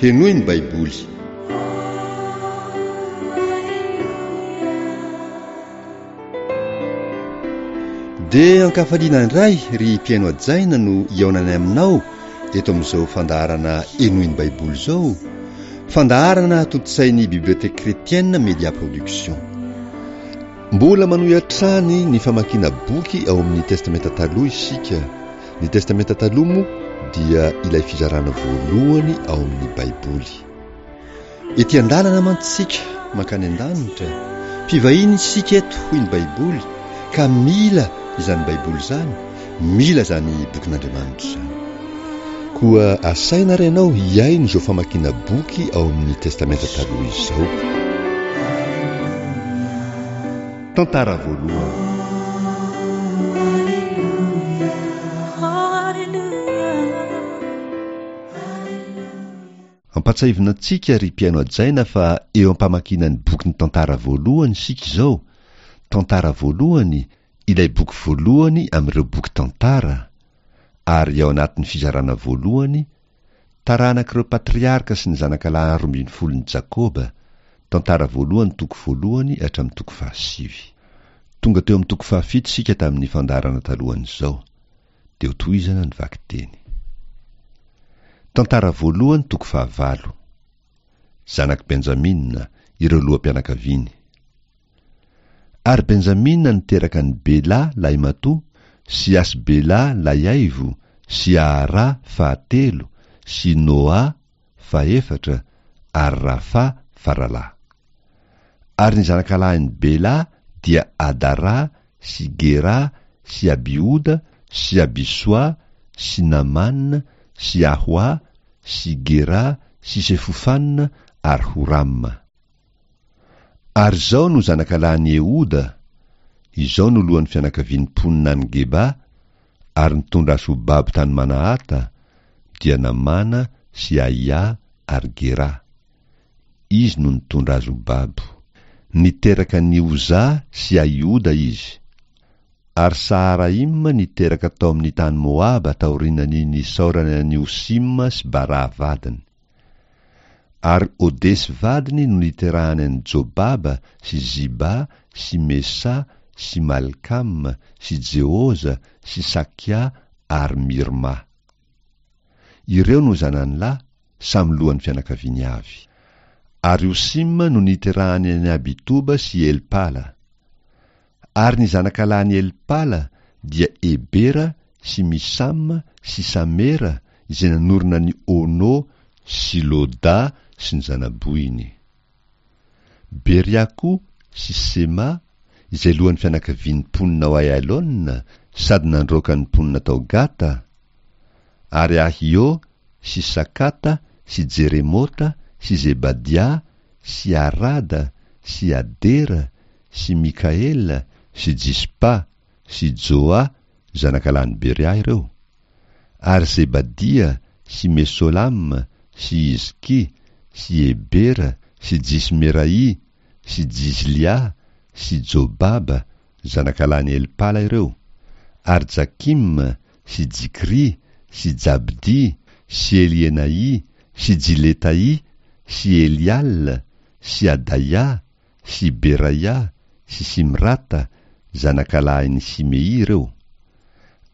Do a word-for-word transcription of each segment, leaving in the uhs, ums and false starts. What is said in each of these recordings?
Henoy ny Baiboly. Dia ankafaliana indray ry mpihaino hajaina no hihaonanay aminao eto amin'izao fandaharana Henoy ny Baiboly izao, fandaharana tontosain'ny Bibliothèque Chrétienne Media Production. Mbola manohy hatrany ny famakiana boky ao amin'ny Testamenta Taloha isika. Ny Testamenta Taloha moa dia ilay fizarana voalohany ao amin'ny Baiboly. Ety an-dalana mantsy isika mankany an-danitra, mpivahiny isika eto hoy ny Baiboly, ka mila izany Baiboly izany, mila izany bokin'Andriamanitra izany. Koa asaina ary ianao hihaino izao famakiana boky ao amin'ny Testamenta Taloha izao. Tantara voalohany. Ampatsahivina antsika ry mpihaino hajaina fa eo am-pamakiana ny bokin'ny tantara voalohany isika izao, tantara voalohany, ilay boky voalohany amin'ireo boky tantara, ary ao anatin'ny fizarana voalohany, taranak'ireo patriarka sy ny zanakalahy roa ambin'ny folon'i Jakoba, tantara voalohany toko voalohany hatramin'ny toko fahasivy. Tonga teo amin'ny toko fahafito isika tamin'ny fandaharana talohan'izao. Dia ho tohizana ny vakiteny. Tantara voalohany toko fahavalo. Zanak'i Benjamina, ireo loham-pianakaviany. Ary Benjamina niteraka an'i Bela lahimatoa, sy Asbela lahiaivo, sy Ahara fahatelo, sy Noa fahefatra, ary Rafa faralahy. Ary ny zanakalahin'i Bela dia Adara sy Gera sy Abihoda sy Abisoa sy Namana sy Ahoa sy Gera sy Sefofana ary Horama. Ary izao no zanakalahin'i Ehoda, izao no lohan'ny fianakavian'ny mponina any Geba, ary nitondra azy ho babo tany Manahata, dia Namana sy Ahia ary Gera. Izy no nitondra azy ho babo. Niteraka an'i Oza sy Ahioda izy. Ary Saharaima niteraka tao amin'ny tany Moaba taorian'ny nisaorany an'i Hosima sy Bara vadiny. Ary Odesy vadiny no niterahany an'i Jobaba sy Ziba sy Mesa sy Malkam sy Jeoza sy Sakia ary Mirma. Ireo no zanany lahy, samy lohan'ny fianakaviany avy. Ary Hosima no niterahany an'i Abitoba sy Elpala. Ary ny zanakalahin'i Elpala dia Ebera sy Misama sy Samera izay nanorina ny Ono sy Loda sy ny zanabohiny. Beria koa sy Sema izay lohan'ny fianakavian'ny mponina ao Aialona sady nandroaka ny mponina tao Gata, ary Ahio sy Sakata sy Jeremota sy Zebadia sy Arada sy Adera sy Mikaela sy Jispa sy Joa zanakalahin'i Beria ireo, ary Zebadia sy Mesolam sy Izki sy Ebera sy Jismerai sy Jizlia sy Jobaba zanakalahin'i Elpala ireo, ary Jakim sy Jikri sy Jabdi sy Elienai sy Jiletai sy Elial sy Adaia sy Beraia sy Simrata zanakalahin'i Simei ireo,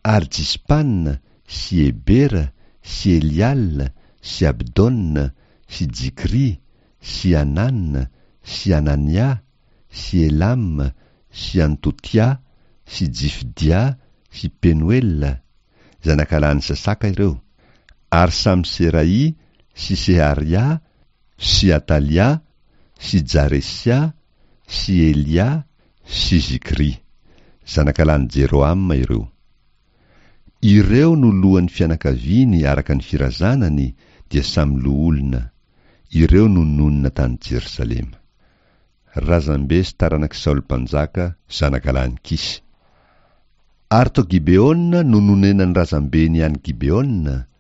ary Jispana sy Ebera sy Elial sy Abdona sy Jikri sy Anan sy Anania sy Elam sy Antotia sy Jifdia sy Penuela zanakalahin'i Sasaka ireo, ary Samserai sy Seharia sy Atalia sy Jaresia sy Elia sy Zikri zanakalahin'i Jerohama ireo. Ireo no lohan'ny fianakaviany araka ny firazanany dia samy loholona. Ireo no nonina tany Jerosalema. Razambe sy taranak'i Saoly mpanjaka zanakalahin'i Kisy. Ary tao Gibeona no nonenan'ny razambeny any Gibeona,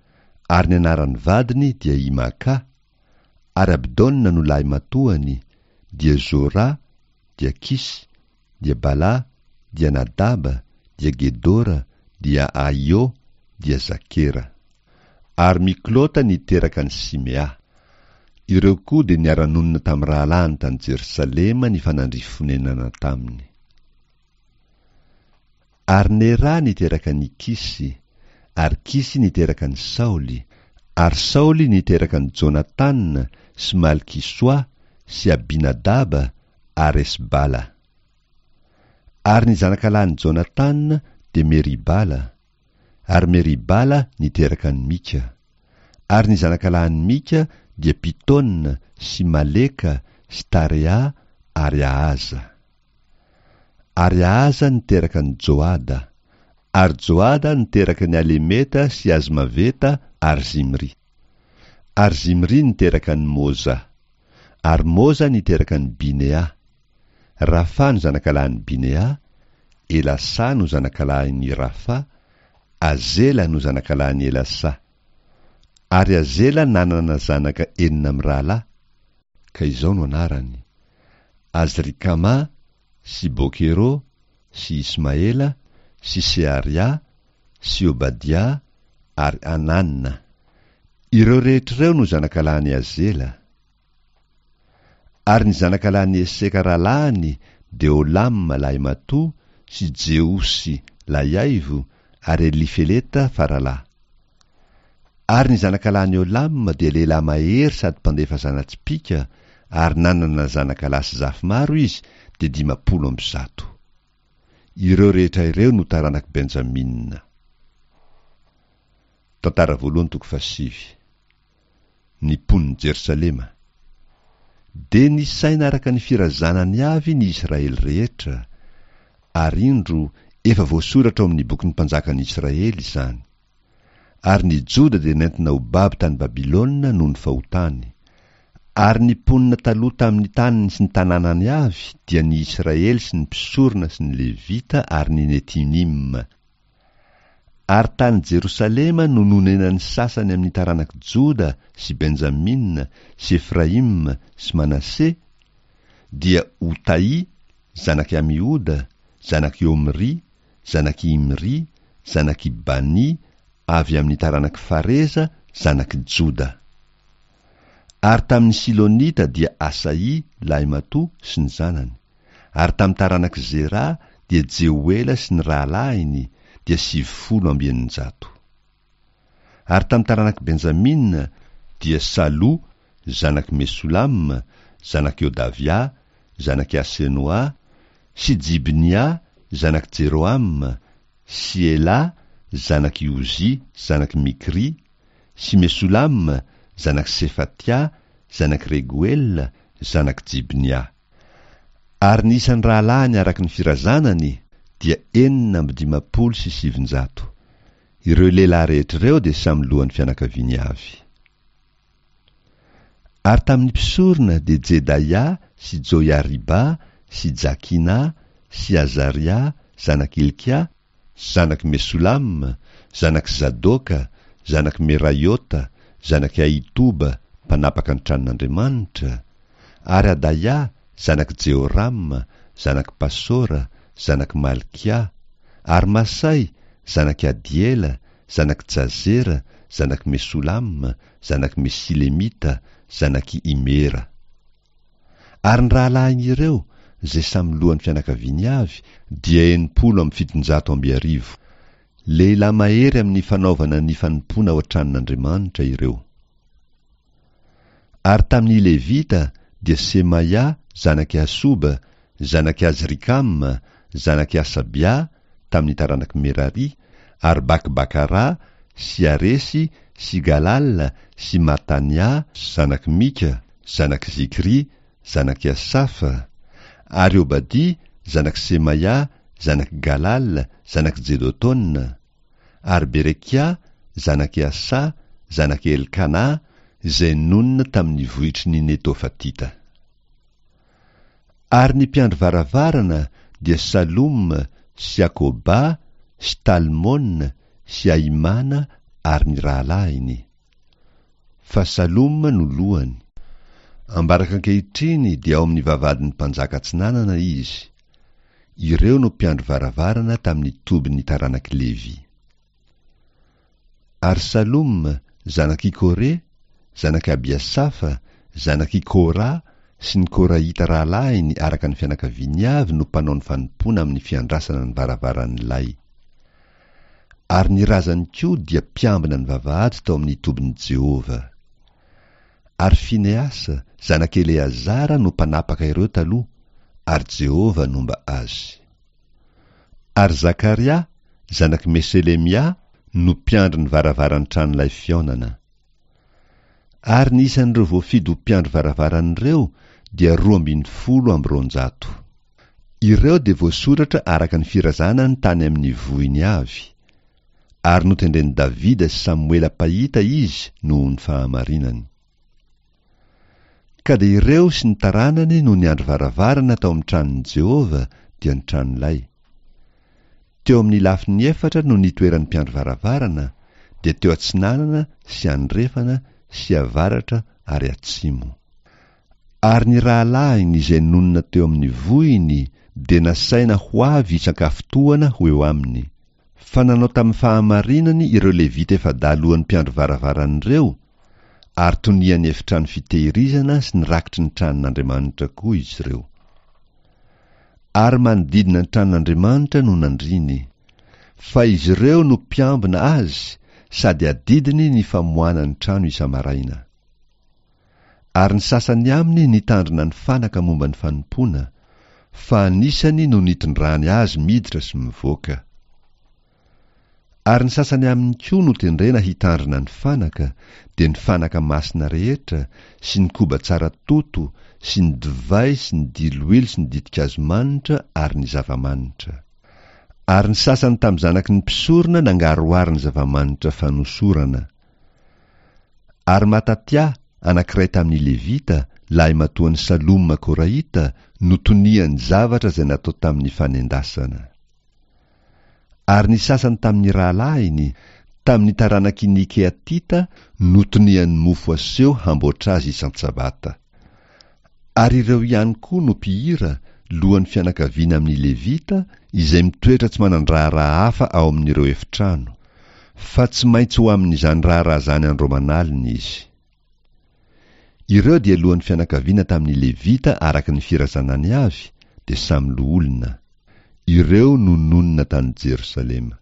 ary ny anaran'ny vadiny dia Imaka, ary Abdona no lahy matoany, dia Zora, dia Kisy, dia Bala, dia Nadaba, dia Gedora, dia Ahio, dia Zakera. Ary Miklota niteraka an'i Simea. Ireo koa dia niara-nonina tamin'ny rahalahiny tany Jerosalema nifanandrify fonenana taminy. Ary Nera niteraka an'i Kisy, ary Kisy niteraka an'i Saoly, ary Saoly niteraka an'i Jonatana sy Malkisoa sy Abinadaba ary Esbala. Ary ny zanakalahin'i Jonatana dia Meribala, ary Meribala niteraka an'i Mika. Ary ny zanakalahin'i Mika dia Pitona sy Maleka sy Tarea ary Ahaza. Ary Ahaza niteraka an'i Joada, ary Joada niteraka an'i Alemeta sy Azmaveta ary Zimry. Ary Zimry niteraka an'i Moza, ary Moza niteraka an'i Binea. Rafa no zanakalahin'i Binea, Elasa no zanakalahin'i Rafa, Azela no zanakalahin'i Elasa. Ary Azela nanana zanaka enina mirahalahy, ka izao no anarany: Azrikama sy Bokero sy Ismaela sy Searia sy Obadia ary Anana. Ireo rehetra ireo no zanakalahin'i Azela. Ary ny zanakalahin'i Eseka rahalahiny dia Olama lahimatoa sy Jeosy lahiaivo ary Elifeleta faralahy. Ary ny zanakalahin'i Olama dia lehilahy mahery sady mpandefa zana-tsipìka, ary nanana zanakalahy sy zafy maro izy, dia dimampolo amby zato. Ireo rehetra ireo no taranak'i Benjamina. Tantara voalohany toko fahasivy. Ny mponin'i Jerosalema. Dia nisaina araka ny firazanany avy ny Israely rehetra, ary indro efa voasoratra ao amin'ny bokin'ny mpanjakan'ny Israely izany. Ary ny Joda dia nentina ho babo tany Babylona noho ny fahotany. Ary ny mponina taloha tamin'ny taniny sy ny tanànany avy dia ny Israely sy ny mpisorona sy ny Levita ary ny Netinima. Ary tany Jerosalema no nonenan'ny sasany amin'ny taranak'i Joda sy Benjamina sy Efraima sy Manase, dia Otaì zanak'i Amihoda, zanak'i Omry, zanak'i Imry, zanak'i Bani, avy amin'ny taranak'i Fareza, zanak'i Joda. Ary tamin'ny Silonita dia Asaì lahimatoa sy ny zanany. Ary tamin'ny taranak'i Zera dia Jehoela sy ny rahalahiny dia sivifolo amby eninjato. Ary tamin'ny taranak'i Benjamina dia Salo zanak'i Mesolama, zanak'i Odavia, zanak'i Asenoa, sy Jibnia zanak'i Jerohama, sy Ela zanak'i Ozia, zanak'i Mikry, sy Mesolama zanak'i Sefatia, zanak'i Regoela, zanak'i Jibnia. Ary ny isan'ny rahalahiny araka ny firazanany dia enina amby dimampolo sy sivinjato. Ireo lehilahy rehetra ireo dia samy lohan'ny fianakaviany avy. Ary tamin'ny mpisorona dia Jedaia sy Joiariba sy Jakina sy Azaria zanak'i Hilkia, zanak'i Mesolama, zanak'i Zadoka, zanak'i Meraiota, zanak'i Ahitoba, mpanapaka ny tranon'Andriamanitra, ary Adaia, zanak'i Jehoram, zanak'i Pasora, zanak'i Malkia, ary Masay, zanak'i Adiela, zanak'i Jazera, zanak'i Mesolama, zanak'i Mesilemita, zanak'i Imera. Ary ny rahalahin'ireo, izay samy lohan'ny fianakaviany avy, dia enimpolo amby fitonjato amby arivo. Lehilahy mahery amin'ny fanaovana ny fanompoana ao an-tranon'Andriamanitra ireo. Ary tamin'ny Levita dia Semaia zanak'i Hasoba, zanak'i Azrikama, zanak'i Asabia, tamin'ny taranak'i Merari, ary Bakbakara sy Aresy sy Galal sy Matania, zanak'i Mika, zanak'i Zikri, zanak'i Asafa, ary Obadia, zanak'i Semaia, zanak'i Galal, zanak'i Jedotona, ary Berekia, zanak'i Asa, zanak'i Elkana, izay nonina tamin'ny vohitry ny Netofatita. Ary ny mpiandry varavarana dia Salom sy Akoba sy Talmon sy Ahimana ary ny rahalahiny. Fa Salom no lohany. Ambaraka ankehitriny dia ao amin'ny vavahadin'ny mpanjaka atsinanana izy. Ireo no mpiandry varavarana tamin'ny tobin'ny taranak'i Levy. Ary Salom, zanak'i Kore, zanak'i Abiasafa, zanak'i Kora, sy ny Korahita rahalahiny araka ny fianakaviany avy no mpanao ny fanompoana amin'ny fiandrasana ny varavaran'ny lay. Ary ny razany koa dia mpiambina ny vavahady tao amin'ny tobin'i Jehovah. Ary Finehasa, zanak'i Eleazara, no mpanapaka ireo taloha, ary Jehovah nomba azy. Ary Zakaria, zanak'i Meselemia, no mpiandry ny varavaran'ny tranolay fihaonana. Ary ny isan'ireo voafidy ho mpiandry varavaran'ireo dia roa ambin'ny folo amby roanjato. Ireo dia voasoratra araka ny firazanany tany amin'ny vohiny avy, ary notendren'i Davida sy Samoela mpahita izy noho ny fahamarinany. Ka dia ireo sy ny taranany no niandry varavarana tao amin'ny tranon'i Jehovah, dia ny tranolay. Teo amin'ny lafiny efatra no nitoeran'ny mpiandry varavarana, dia teo atsinanana sy andrefana sy avaratra ary atsimo. Ary ny rahalahiny izay nonina teo amin'ny vohiny dia nasaina ho avy isan-kafotoana ho eo aminy. Fa nanao tamin'ny fahamarinany ireo Levita efa-dahy lohan'ny mpiandry varavaran'ireo, ary tonian'ny efitrano fitehirizana sy ny rakitry ny tranon'Andriamanitra koa izy ireo. Ary manodidina ny tranon'Andriamanitra no nandriny. Fa izy ireo no mpiambina azy sady adidiny ny famoahana ny trano isa-maraina. Ary ny sasany aminy nitandrina ny fanaka momba ny fanompoana, fa anisany no nitondrany azy miditra sy mivoaka. Ary ny sasany aminy koa notendrena hitandrina ny fanaka, dia ny fanaka masina rehetra, sy ny koba tsara toto, sy ny divay sy ny diloilo sy ny ditin-kazo manitra ary ny zava-manitra. Ary ny sasany tamin'ny zanaky ny mpisorona nangaroharo ny zava-manitra fanosorana. Ary Matatia, anankiray tamin'ny Levita, lahimatoan'i Saloma Korahita, no tonian'ny zavatra izay natao tamin'ny fanendasana. Ary ny sasany tamin'ny rahalahiny, tamin'ny taranaky ny Kehatita, no tonian'ny mofo aseho hamboatra azy isan-tsabata. Ary ireo ihany koa no mpihira, lohan'ny fianakaviana amin'ny Levita, izay mitoetra tsy manan-draharaha hafa ao amin'ireo efitrano, fa tsy maintsy ho amin'izany raharaha izany andro aman'alina izy. Ireo dia lohan'ny fianakaviana tamin'ny Levita araka ny firazanany avy, dia samy loholona. Ireo no nonina tany Jerosalema.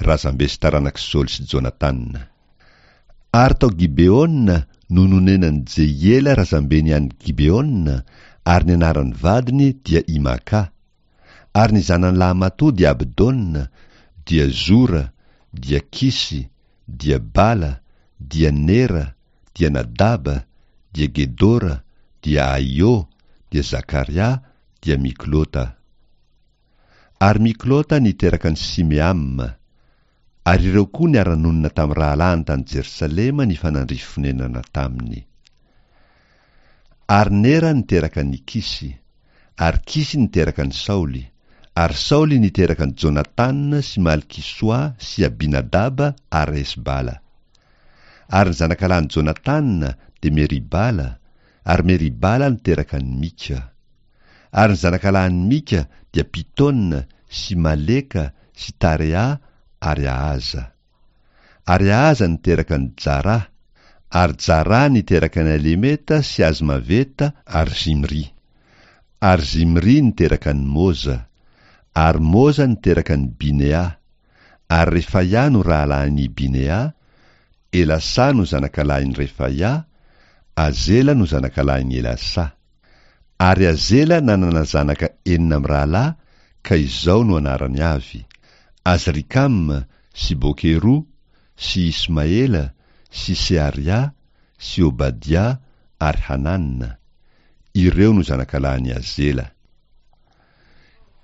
Razambe sy taranak'i Saoly sy Jonatana. Ary tao Gibeona no nonenan'i Jehiela razambeny any Gibeona, ary ny anaran'ny vadiny dia Imaka. Ary ny zanany lahimatoa dia Abdona, dia Zora, dia Kisy, dia Bala, dia Nera, dia Nadaba, dia Gedora, dia Ahio, dia Zakaria, dia Miklota. Ary Miklota niteraka an'i Simeama. Ary ireo koa niara-nonina tamin'ny rahalahiny tany Jerosalema nifanandrify fonenana taminy. Ary Nera niteraka an'i Kisy, ary Kisy niteraka an'i Saoly, ary Saoly niteraka an'i Jonatana sy Malkisoa sy Abinadaba ary Esbala. Ary ny zanakalahin'i Jonatana dia Meribala, ary Meribala niteraka an'i Mika. Ary ny zanakalahin'i Mika dia Pitona sy Maleka sy Tarea ary Ahaza. Ary Ahaza niteraka an'i Jara, ary Jara niteraka an'i Alemeta sy Azmaveta ary Zimri. Ary Zimri niteraka an'i Moza, ary Moza niteraka an'i Binea, ary Refaia no rahalahin'i Binea, Elasa no zanakalahin'i Refaia, Azela no zanakalahin'i Elasa. Ary Azela nanana zanaka enina amin'ny rahalahy, ka izao no anarany avy: Azrikam sy Bokeru sy Ismaela sy Searia sy Obadia ary Hanana. Ireo no zanakalahin'i Azela.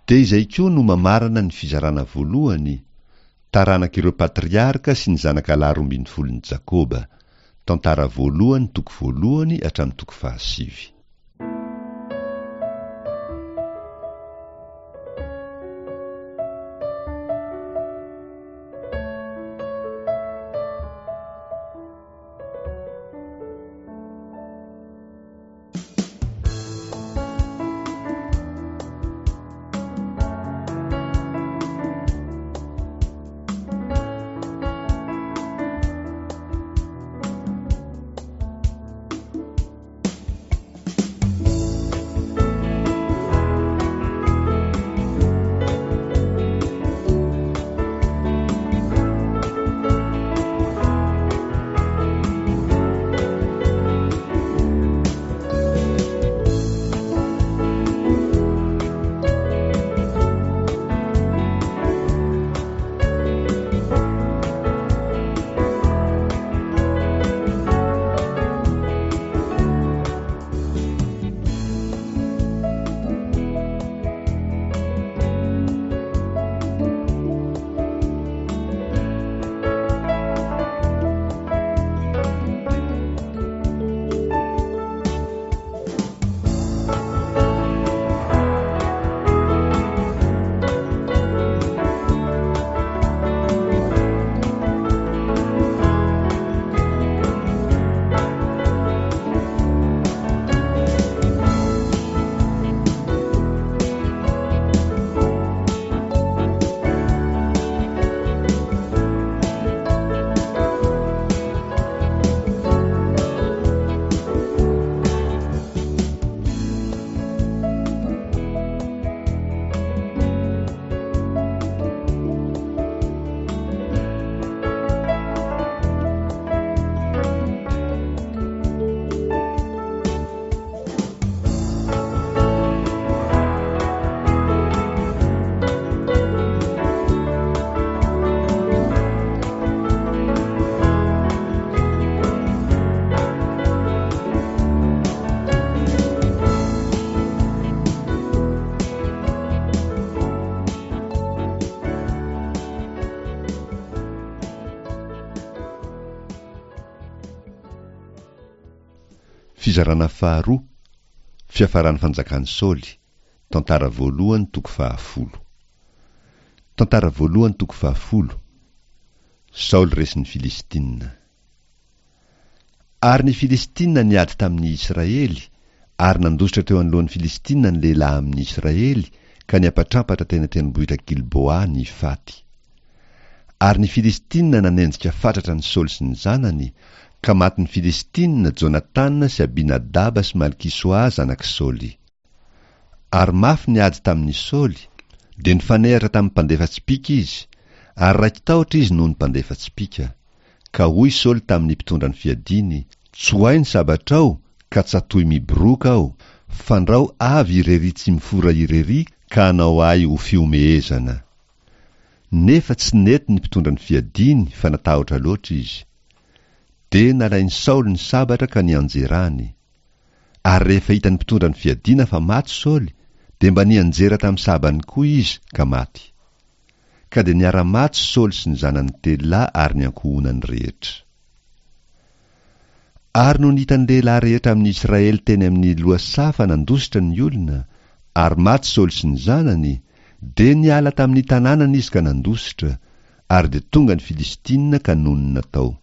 Dia izay koa no mamarana ny fizarana voalohany, taranak'ireo patriarka sy ny zanakalahy roa ambin'ny folon'i Jakoba, tantara voalohany toko voalohany hatramin'ny toko fahasivy. Fizarana faharoa, fiafaran'ny fanjakan'i Saoly, tantara voalohany toko fahafolo. Tantara voalohany toko fahafolo. Saoly resin'ny Filistina. Ary ny Filistina niady tamin'ny Israely, ary nandositra teo anoloan'ny Filistina ny lehilahy amin'ny Israely, ka niampatrampatra teny an-tendrombohitra Gilboa ny faty. Ary ny Filistina nanenjika fatratra an'i Saoly sy ny zanany, ka matin'ny Filistina Jonatana sy Abinadaba sy Malkisoa zanak'i Saoly. Ary mafy ny ady tamin'i Saoly, dia nifanehatra tamin'ny mpandefa tsipìka izy, ary raiki-tahotra izy noho ny mpandefa tsipìka. Ka hoy Saoly tamin'ny mpitondra ny fiadiany, Tsoahy ny sabatrao, ka tsatohy miboroaka aho, fandrao avy irery tsy mifora irery ka hanao ahy ho fihomehezana. Nefa tsy nety ny mpitondra ny fiadiany fa natahotra loatra izy. Dia nalain'i Saoly ny sabatra ka nianjerany. Ary rehefa hitan'ny mpitondra ny fiadiana fa maty Saoly, dia mba nianjera tamin'ny sabany koa izy ka maty. Ka dia niara-maty Saoly sy ny zanany telo lahy ary ny ankohonany rehetra. Ary nony hitan'ny lehilahy rehetra amin'ny Israely teny amin'ny lohasaha fa nandositra ny olona, ary maty Saoly sy ny zanany, dia niala tamin'ny tanànany izy ka nandositra, ary dia tonga ny Filistina ka nonina tao.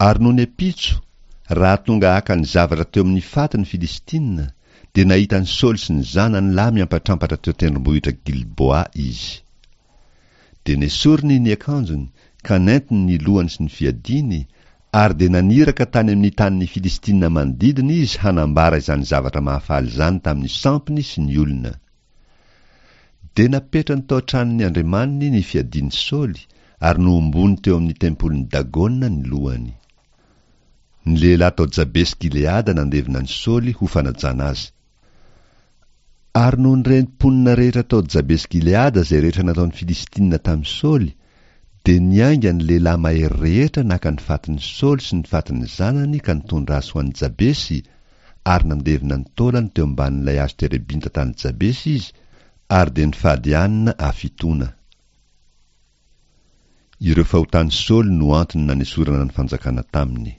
Ary nony ampitso, raha tonga haka ny zavatra teo amin'ny faty ny Filistina, dia nahita an'i Saoly sy ny zanany lahy miampatrampatra teo an-tendrombohitra Gilboa izy. Dia nesoriny ny akanjony, ka nentiny ny lohany sy ny fiadiany, ary dia naniraka tany amin'ny tanin'ny Filistina manodidina izy hanambara izany zavatra mahafaly izany tamin'ny sampiny sy ny olona. Dia napetrany tao an-tranon'ny andriamaniny ny fiadian'i Saoly, ary nohombony teo amin'ny tempolin'i Dagona ny lohany. Ny lehilahy tao Jabesy Gileada nandevina an'i Saoly ho fanajana azy. Ary nony ren'ny mponina rehetra tao Jabesy Gileada izay rehetra nataon'ny Filistina tamin'i Saoly, dia niainga ny lehilahy mahery rehetra naka ny fatin'i Saoly sy ny fatin'ny zanany ka nitondra azy ho any Jabesy, ary nandevina ny taolany teo ambanin'ilay hazo terebinta tany Jabesy izy, ary dia nifady hanina hafitoana. Ireo fahotan'i Saoly no antony nanesorana ny fanjakana taminy.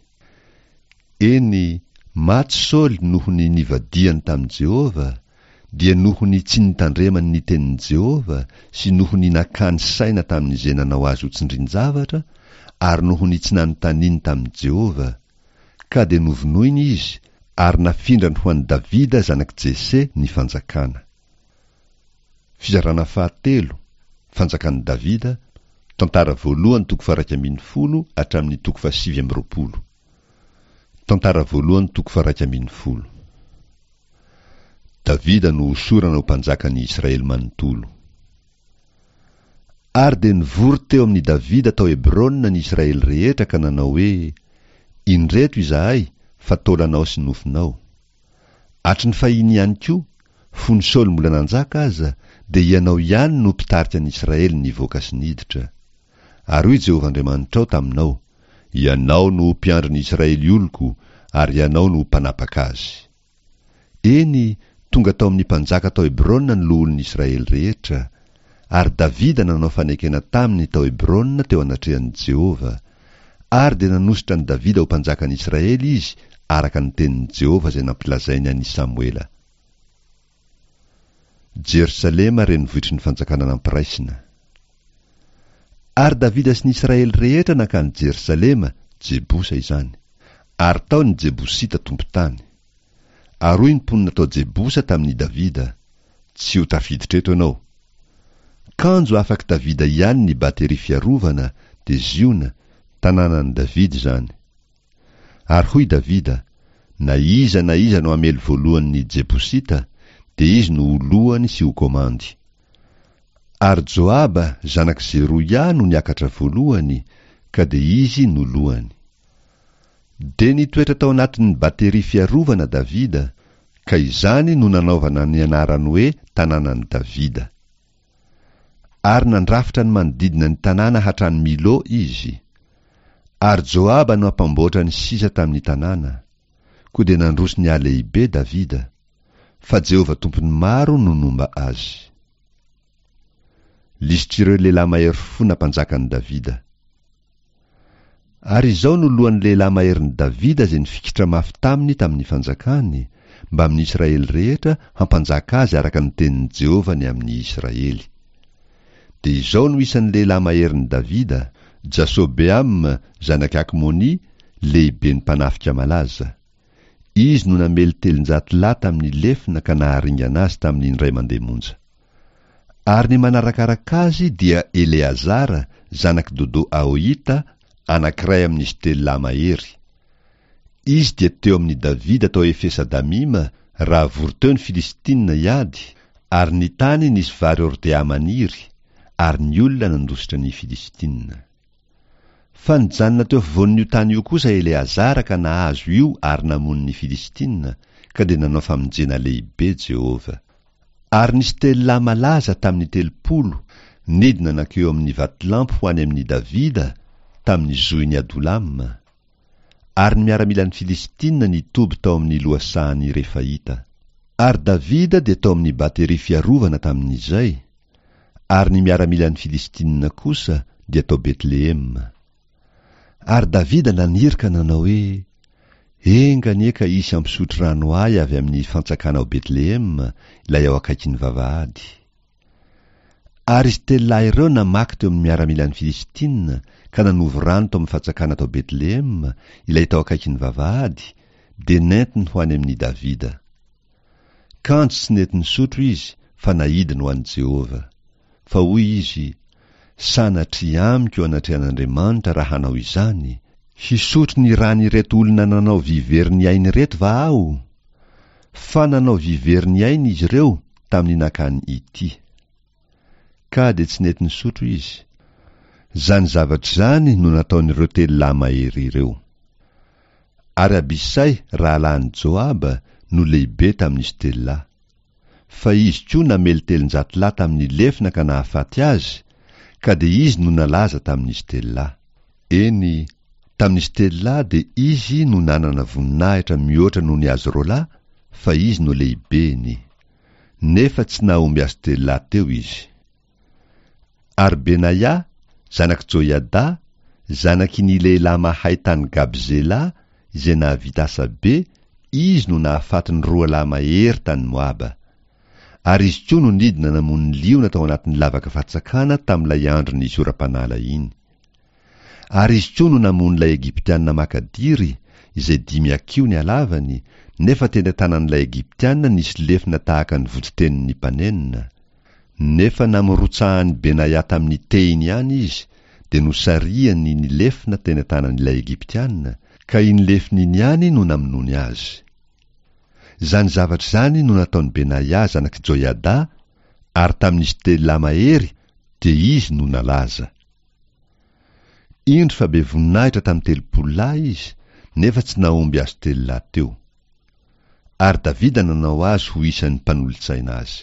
Eny, maty Saoly noho ny nivadihany tamin'i Jehovah, dia noho ny tsy nitandremany ny tenin'i Jehovah sy noho ny nakany saina tamin'izay nanao azy ho tsindrin-javatra, ary noho ny tsy nanontaniany tamin'i Jehovah. Ka dia novonoiny izy, ary nafindrany ho an'i Davida zanak'i Jese ny fanjakana. Fizarana fahatelo, fanjakan'i Davida, tantara voalohany toko faha-iraika ambin'ny folo hatramin'ny toko fahasivy amby roapolo. Tantara voalohany toko faha-iraika ambin'ny folo. Davida no hosorana ho mpanjakan'ny Israely manontolo. Ary dia nivory teo amin'i Davida tao Hebrona ny Israely rehetra ka nanao hoe, Indreto izahay, fa taolanao sy nofonao. Hatry ny fahiny ihany koa, fony Saoly mbola nanjaka aza, dia ianao ihany no mpitarika ny Israely nivoaka sy niditra. Ary hoy Jehovah Andriamanitrao taminao, Ianao no ho mpiandry ny Israely oloko, ary ianao no ho mpanapaka azy. Eny, tonga tao amin'ny mpanjaka tao Hebrona ny loholon'ny Israely rehetra, ary Davida nanao fanekena taminy tao Hebrona teo anatrehan'i Jehovah. Ary dia nanosotra an'i Davida ho mpanjakan'ny Israely izy, araka ny tenin'i Jehovah izay nampilazainy an'i Samoela. Jerosalema renivohitry ny fanjakana nampiraisina. Ary Davida sy ny Israely rehetra nankany Jerosalema, Jebosa izany. Ary tao ny Jebosita tompon-tany. Ary hoy ny mponina tao Jebosa tamin'i Davida, Tsy ho tafiditra eto ianao. Kanjo afak'i Davida ihany ny bateria fiarovana, dia Ziona, tanànan'i Davida izany. Ary hoy Davida, Na iza na iza no hamely voalohany ny Jebosita, dia izy no ho lohany sy ho komandy. Ary Joaba, zanak'i Zeroia, no niakatra voalohany, ka dia izy no lohany. Dia nitoetra tao anatin'ny bateria fiarovana Davida, ka izany no nanaovana ny anarany hoe tanànan'i Davida. Ary nandrafitra ny manodidina ny tanàna hatrany Milo izy. Ary Joaba no hampamboatra ny sisa tamin'ny tanàna. Koa dia nandroso nihalehibe Davida, fa Jehovah Tompon'ny maro no nomba azy. Lisitr'ireo lehilahy mahery fo nampanjakan'i Davida. Ary izao no lohan'ny lehilahy maherin'i Davida izay nifikitra mafy taminy tamin'ny fanjakany, mbamin'ny Israely rehetra hampanjaka azy araka ny tenin'i Jehovah ny amin'ny Israely. Dia izao no isan'ny lehilahy maherin'i Davida, Jasobeam zanak'i Akmoni, lehiben'ny mpanafika malaza. Izy no namely telonjato lahy tamin'ny lefona ka naharingana azy tamin'ny indray mandeha monja. Ary ny manarakaraka azy dia Eleazara, zanak'i Dodo Ahohita, anankiray amin'izy telo lahy mahery. Izy dia teo amin'i Davida tao Efesa-Damima raha vory teo ny Filistina hiady, ary ny tany nisy vary hordea maniry, ary ny olona nandositra ny Filistina. Fa nijanona teo afovoan'io tany io kosa Eleazara ka nahazo io ary namono ny Filistina, ka dia nanao famonjena lehibe Jehovah. Ary nisy telo lahy malaza tamin'ny telopolo, nidina nankeo amin'ny vatolampy ho any amin'i Davida, tamin'ny zohin'i Adolama. Ary ny miaramilan'ny Filistina nitoby tao amin'ny lohasahan'ny Refaita. Ary Davida dia tao amin'ny bateria fiarovana tamin'izay, ary ny miaramilan'ny Filistina kosa dia tao Betlehema. Ary Davida naniry ka nanao hoe, Enga anie ka hisy hampisotro rano ahy avy amin'ny fantsakana ao Betlehema, ilay ao akaikin'ny vavahady. Ary izy telo lahy ireo namaky teo amin'ny miaramilan'ny Filistina ka nanovo rano tao amin'ny fantsakana tao Betlehema, ilay tao akaikin'ny vavahady, dia nentiny ho any amin'i Davida. Kanjo tsy nety nisotro izy, fa naidiny ho an'i Jehovah. Fa hoy izy, Sanatria amiko anatrehan'Andriamanitra raha hanao izany, hisotro ny ran'ireto olona nanao vivery ny ainy ireto va aho? Fa nanao vivery ny ainy izy ireo tamin'ny nakany ity. Ka dia tsy nety nisotro izy. Izany zavatra izany no nataon'ireo telo lahy mahery ireo. Ary Abisay rahalahin'i Joaba no lehibe tamin'izy telo lahy. Fa izy koa namely telonjato lahy tamin'ny lefona ka nahafaty azy, ka dia izy no nalaza tamin'izy telo lahy. Eny, tamin'izy telo lahy dia izy no nanana voninahitra mihoatra noho ny azy roa lahy, fa izy no lehibeny. Nefa tsy nahomby azy telo lahy teo izy. Ary Benaia, zanak'i Joiada, zanaky ny lehilahy mahay tany Gabzela, izay nahavita asa be, izy no nahafaty ny roa lahy mahery tany Moaba. Ary izy koa no nidina namono ny liona tao anatin'ny lavaka fatsakana tamin'ilay andro nisy oram-panala iny. Ary izy koa no namono ilay Egyptiana makadiry, izay dimy hakiho ny halavany, nefa teny an-tanan'ilay Egyptiana nisy lefona tahaka ny voditenin'ny mpanenona. Nefa namorotsahan'i Benaia tamin'ny tehiny ihany izy, dia nosariany ny lefona teny an-tanan'ilay Egyptiana, ka iny lefona iny ihany no namonoany azy. Izany zavatra izany no nataon'i Benaia zanak'i Joiada, ary tamin'izy telo lahy mahery dia izy no nalaza. Indro fa be voninahitra tamin'ny telopolo lahy izy, nefa tsy nahomby azy telo lahy teo. Ary Davida nanao azy ho isan'ny mpanolotsaina azy.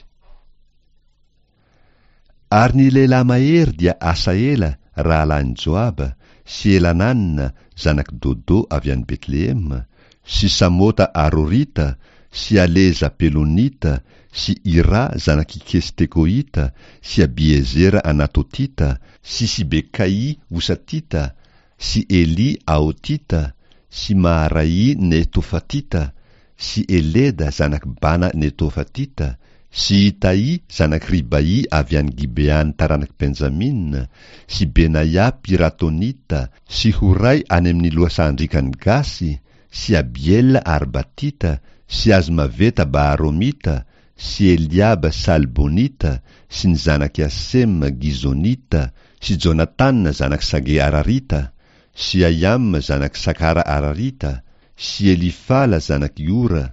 Ary ny lehilahy mahery dia Asaela rahalahin'i Joaba, sy Elanana zanak'i Dodo avy any Betlehema, sy Samota Arorita, sy Aleza Pelonita, sy Ira zanak'i Kestekoita, sy Abiezera Anatotita, sy Sibekai Osatita, sy Eli Aotita, sy Maharai Netofatita, sy Eleda zanak'i Bana Netofatita, sy Itaï zanak'i Ribai avy any Gibeany taranak'i Benjamina, sy Benaia Piratonita, sy Horay any amin'ny lohasahan-driakan'i Gasy, sy Abiela Arbatita, sy Azmaveta Baharomita, sy Eliaba Salbonita, sy ny zanak'i Asema Gizonita, sy Jonatana zanak'i Sage Ararita, sy Ayam zanak'i Sakara Ararita, sy Elifala zanak'i Ora,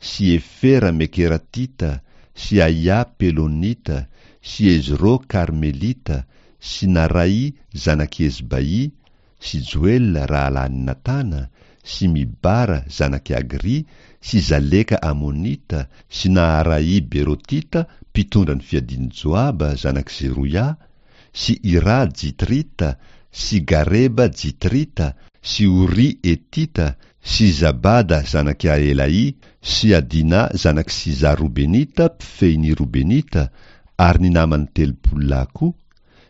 sy Efera Mekeratita, sy Aia Pelonita, sy Ezro Karmelita, sy Narai zanak'i Ezbai, sy Joela rahalahin'i Natana, sy Mibara zanak'i Agri, sy Zaleka Amonita, sy Naharai Berotita mpitondra ny fiadian'i Joaba zanak'i Zeroia, sy Ira Jitrita, sy Gareba Jitrita, sy Ori Etita, sy Zabada zanak'i Aelai, sy Adina zanak'i Siza Robenita mpifehin'ny Robenita, ary ny namany telopolo lahy koa,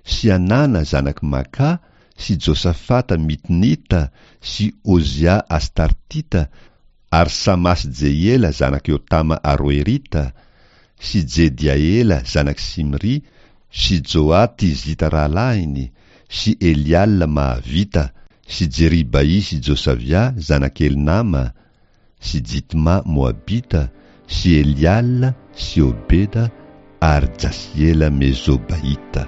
sy Anana zanak'i Maka, sy Josafata Mitnita sy Ozia Astartita ary Sama sy Jehiela zanak'i Jotama Aroerita sy Jediaela zanak'i Simri sy Joa Tizita rahalahiny sy Eliala Mahavita sy Jeribai sy Josavia zanak'i Elnama sy Jitma Moabita sy Eliala sy Obeda ary Jasiela Mezobaita.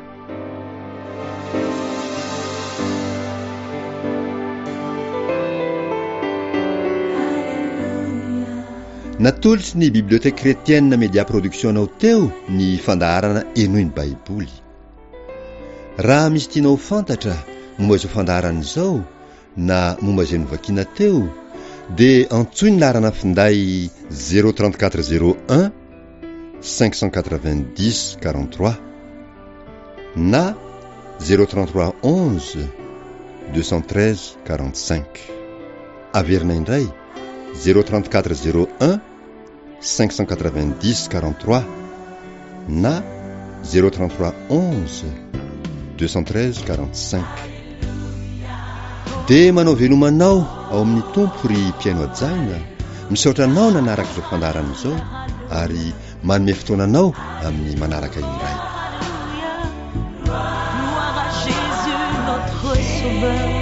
Natolotry ny Bibliothèque Chrétienne Media Production anao teo ny fandaharana Henoy ny Baiboly. Raha misy tianao ho fantatra momba izao fandaharana izao na momba izay novakiana teo dia antsoy ny laharana finday zéro trente quatre zéro un cinq cent quatre-vingt-dix quarante-trois na zéro trente-trois onze deux cent treize quarante-cinq. Averina indray zéro trente-quatre zéro un cinq cent quatre-vingt-dix quarante-trois na zéro trente-trois onze deux cent treize quarante-cinq. Dia manao veloma anao ao amin'ny Tompo ry mpihaino hajaina, misaotra anao nanaraka izao fandaharana izao ary manome fotoana anao amin'ny manaraka indray. Gloire à Jésus, notre Sauveur.